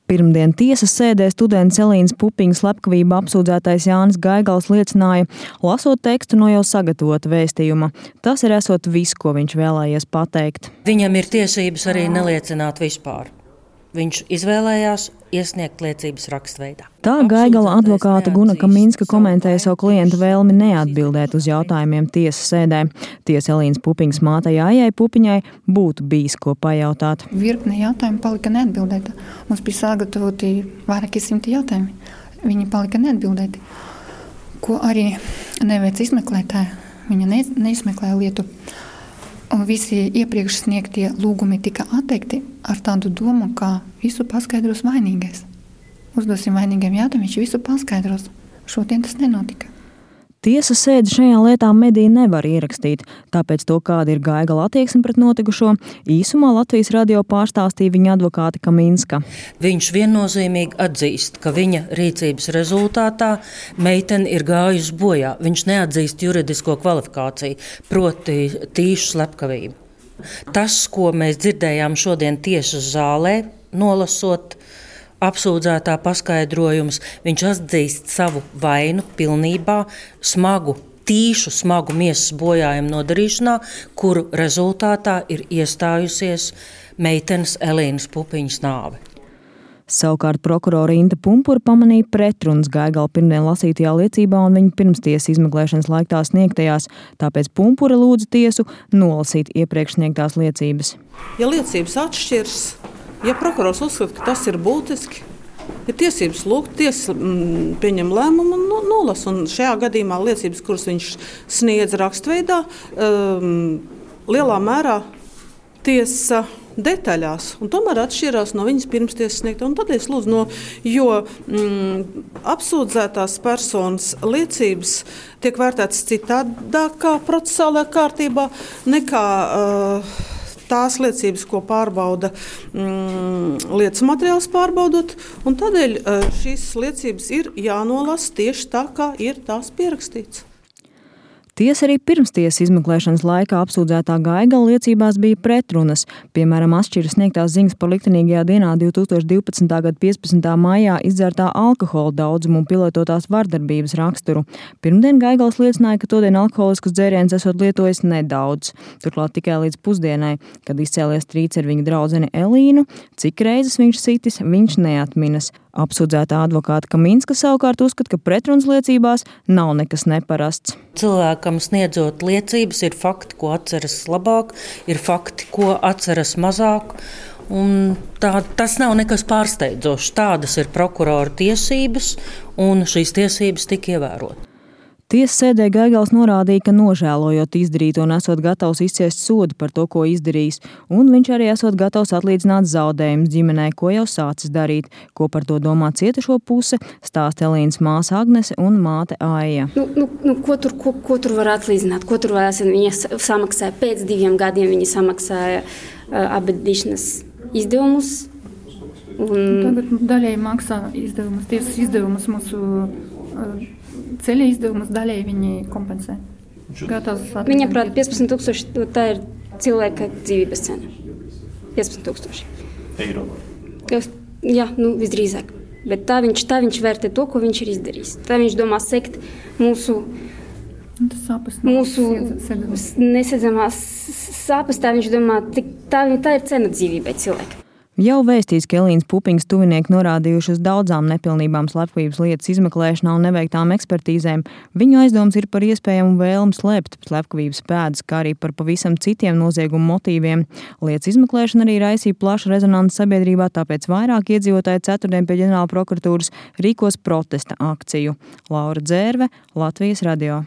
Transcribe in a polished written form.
Pirmdien tiesas sēdē students Elīnas Pupiņas slepkavību apsūdzētais Jānis Gaigals liecināja, lasot tekstu no jau sagatavota vēstījuma. Tas ir esot viss, ko viņš vēlējies pateikt. Viņam ir tiesības arī neliecināt vispār. Viņš izvēlējās iesniegt liecības rakstveidā. Tā Gaigala advokāte Guna Kaminska komentēja savu klientu vēlmi neatbildēt uz jautājumiem tiesas sēdē. Tiesa Elīnas Pupiņas mātei Aijai Pupiņai būtu bijis ko pajautāt. Virkne jautājumu palika neatbildēta. Mums bija sagatavoti vairāki 100 jautājumi. Viņi palika neatbildēti. Ko arī neveic izmeklētāja. Viņa neizmeklēja lietu. Un visi iepriekš sniegtie lūgumi tika atteikti ar tādu domu, ka visu paskaidros vainīgais. Uzdosim vainīgiem jautājumu, viņš visu paskaidros. Šodien tas nenotika. Tiesas sēdi šajā lietā mediji nevar ierakstīt, tāpēc to, kāda ir Gaigala attieksme pret notikušo, īsumā Latvijas radio pārstāstīja viņa advokāte Kaminska. Viņš viennozīmīgi atzīst, ka viņa rīcības rezultātā meitene ir gājusi bojā. Viņš neatzīst juridisko kvalifikāciju, proti tīšu slepkavību. Tas, ko mēs dzirdējām šodien tiesas zālē, nolasot apsūdzētā paskaidrojums, viņš atzīst savu vainu pilnībā, smagu miesas bojājumu nodarīšanā, kuru rezultātā ir iestājusies meitenes Elīnas Pupiņas nāve. Savukārt prokurora Inta Pumpura pamanīja pretrunas Gaigala pirmdien lasītajā liecībā un viņa pirmstiesas izmeklēšanas laikā sniegtajās, tāpēc Pumpura lūdza tiesu nolasīt iepriekš sniegtās liecības. Ja liecības atšķirs, ja prokurors uzskata, ka tas ir būtiski, ir tiesības lūgt, tiesa pieņem lēmumu un nolasa. Un šajā gadījumā liecības, kuras viņš sniedz rakstveidā, lielā mērā tiesa detaļās, un tomēr atšķirās no viņas pirmstiesas sniegtā. Un tad es lūdzu, jo apsūdzētās personas liecības tiek vērtētas citādākā procesālajā kārtībā nekā tās liecības, ko pārbauda lietas materiāls pārbaudot, un tādēļ šīs liecības ir jānolasa tieši tā, kā ir tās pierakstīts. Tiesa arī pirmstiesas izmeklēšanas laikā apsūdzētā Gaigala liecībās bija pretrunas. Piemēram, atšķiras sniegtās ziņas par liktenīgajā dienā 2012. gada 15. maijā izdzertā alkohola daudzumu un pielietotās vardarbības raksturu. Pirmdien Gaigals liecināja, ka todien alkoholiskus dzērienus esot lietojis nedaudz. Turklāt tikai līdz pusdienai, kad izcēlies strīds ar viņa draudzeni Elīnu, cik reizes viņš sitis, viņš neatminas. Apsūdzētā advokāta Kaminska savukārt uzskata, ka pretrunas liecībās nav nekas neparasts. Cilvēkam sniedzot liecības ir fakti, ko atceras labāk, ir fakti, ko atceras mazāk. Un tas nav nekas pārsteidzošs. Tādas ir prokurora tiesības, un šīs tiesības tika ievērotas. Tiesas sēdē Gaigals norādīja, ka nožēlojot izdarīto un esot gatavs izciest sodu par to, ko izdarījis, un viņš arī esot gatavs atlīdzināt zaudējumus ģimenei, ko jau sācis darīt. Ko par to domā cietušo puse, stāsta Elīnas māsa Agnese un māte Aija. Ko tur var atlīdzināt? Ko tur varēs? Viņa samaksāja pēc 2 gadiem, viņa samaksāja apbedīšanas izdevumus. Tagad daļēji maksā izdevumus, tiesas izdevumus mūsu ceļa izdevumus, daļēji viņi kompensē. Viņa prāt 15 000, tā ir cilvēka dzīvības cena. 15 000 eiro. Jā, visdrīzāk. Bet tā viņš vērtē to, ko viņš ir izdarījis. Tā viņš domā sekt mūsu nesedzamās sāpes, tā viņš domā, tā ir cena dzīvībai cilvēka. Jau vēstīts, ka Elīnas Pupiņas tuvinieki norādījuši uz daudzām nepilnībām slepkavības lietas izmeklēšanā un neveiktām ekspertīzēm. Viņu aizdoms ir par iespējamu vēlmi slēpt slepkavības pēdas, kā arī par pavisam citiem noziegumu motīviem. Lietas izmeklēšana arī raisīja plašu rezonanci sabiedrībā, tāpēc vairāk iedzīvotāji ceturtdien pie ģenerāla prokuratūras rīkos protesta akciju. Laura Dzērve, Latvijas radio.